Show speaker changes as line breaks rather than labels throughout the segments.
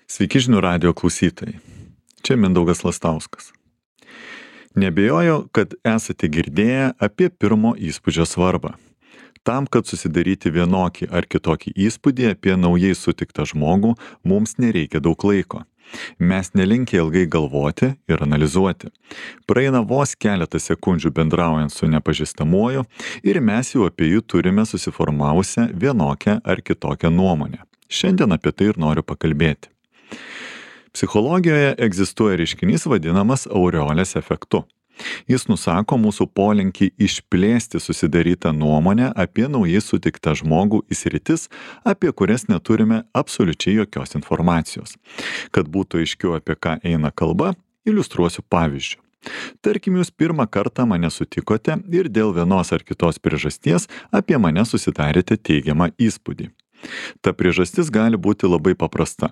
Sveiki žinių radijo klausytojai. Čia Mindaugas Lastauskas. Nebejoju, kad esate girdėję apie pirmo įspūdžio svarbą. Tam, kad susidaryti vienokį ar kitokį įspūdį apie naujai sutiktą žmogų, mums nereikia daug laiko. Mes nelinkę ilgai galvoti ir analizuoti. Praeina vos keletą sekundžių bendraujant su nepažįstamuoju ir mes jau apie jį turime susiformavusią vienokią ar kitokią nuomonę. Šiandien apie tai ir noriu pakalbėti. Psichologijoje egzistuoja reiškinys vadinamas aureolės efektu. Jis nusako mūsų polinkį išplėsti susidarytą nuomonę apie naujai sutiktą žmogų į sritis, apie kurias neturime absoliučiai jokios informacijos. Kad būtų aiškiau, apie ką eina kalba, iliustruosiu pavyzdžiu. Tarkim, jūs pirmą kartą mane sutikote ir dėl vienos ar kitos priežasties apie mane susidarėte teigiamą įspūdį. Ta priežastis gali būti labai paprasta.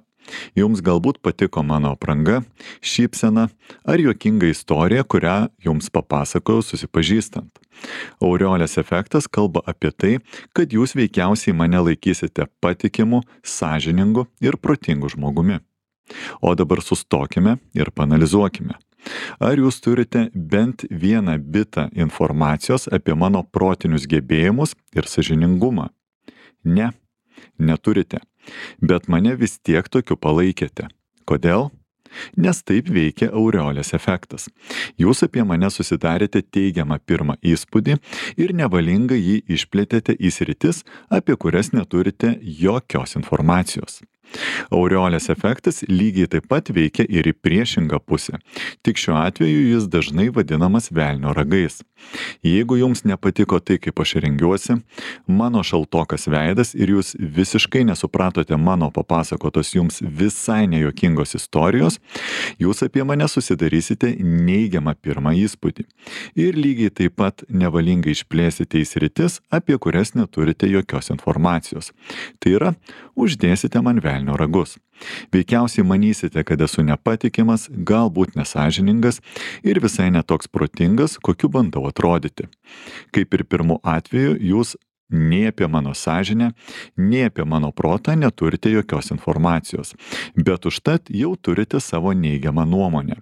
Jums galbūt patiko mano apranga, šypsena ar juokinga istorija, kurią jums papasakojau susipažįstant. Aureolės efektas kalba apie tai, kad jūs veikiausiai mane laikysite patikimu, sąžiningu ir protingu žmogumi. O dabar sustokime ir panalizuokime. Ar jūs turite bent vieną bitą informacijos apie mano protinius gebėjimus ir sąžiningumą? Ne, neturite. Bet mane vis tiek tokiu palaikėte. Kodėl? Nes taip veikia aureolės efektas. Jūs apie mane susidarėte teigiamą pirmą įspūdį ir nevalingai jį išplėtėte į sritis, apie kurias neturite jokios informacijos. Aureolės efektas lygiai taip pat veikia ir į priešingą pusę. Tik šiuo atveju jis dažnai vadinamas velnio ragais. Jeigu jums nepatiko tai, kaip aš rengiuosi, mano šaltokas veidas ir jūs visiškai nesupratote mano papasakotos jums visai nejuokingos istorijos, jūs apie mane susidarysite neigiamą pirmą įspūdį. Ir lygiai taip pat nevalingai išplėsite į sritis, apie kurias neturite jokios informacijos. Tai yra, uždėsite man velnio ragus. Veikiausiai manysite, kad esu nepatikimas, galbūt nesąžiningas ir visai netoks protingas, kokiu bandau atrodyti. Kaip ir pirmu atveju, jūs nei apie mano sąžinę, nei apie mano protą neturite jokios informacijos, bet užtat jau turite savo neigiamą nuomonę.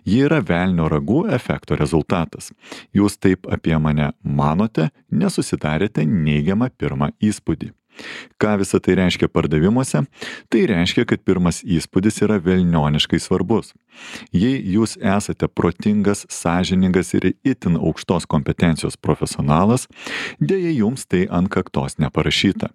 Ji yra velnio ragų efekto rezultatas. Jūs taip apie mane manote, nesusidarėte neigiamą pirmą įspūdį. Ką visą tai reiškia pardavimuose? Tai reiškia, kad pirmas įspūdis yra velnioniškai svarbus. Jei jūs esate protingas, sąžiningas ir itin aukštos kompetencijos profesionalas, dėja jums tai ant kaktos neparašyta.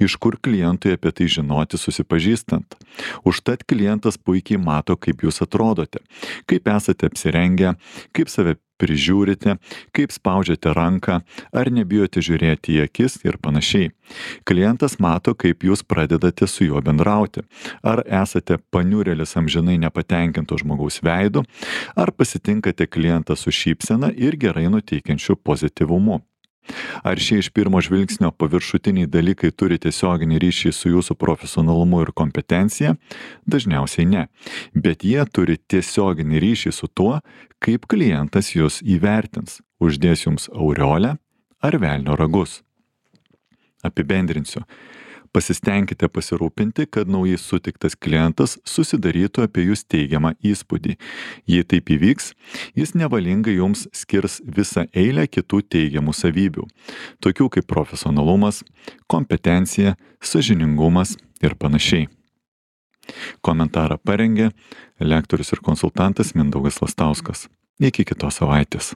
Iš kur klientui apie tai žinoti susipažįstant? Užtat klientas puikiai mato, kaip jūs atrodote, kaip esate apsirengę, kaip save prižiūrite, kaip spaudžiate ranką, ar nebijote žiūrėti į akis ir panašiai. Klientas mato, kaip jūs pradedate su juo bendrauti. Ar esate paniurėlis amžinai nepatenkinto žmogaus veidu, ar pasitinkate klientą su šypsena ir gerai nuteikiančiu pozityvumu. Ar šie iš pirmo žvilgsnio paviršutiniai dalykai turi tiesioginį ryšį su jūsų profesionalumu ir kompetencija? Dažniausiai ne. Bet jie turi tiesioginį ryšį su tuo, kaip klientas jūs įvertins. Uždės jums aureolę ar velnio ragus. Apibendrinsiu. Pasistengkite pasirūpinti, kad naujai sutiktas klientas susidarytų apie jūs teigiamą įspūdį. Jei taip įvyks, jis nevalingai jums skirs visą eilę kitų teigiamų savybių, tokių kaip profesionalumas, kompetencija, sąžiningumas ir panašiai. Komentarą parengė lektorius ir konsultantas Mindaugas Lastauskas. Iki kitos savaitės.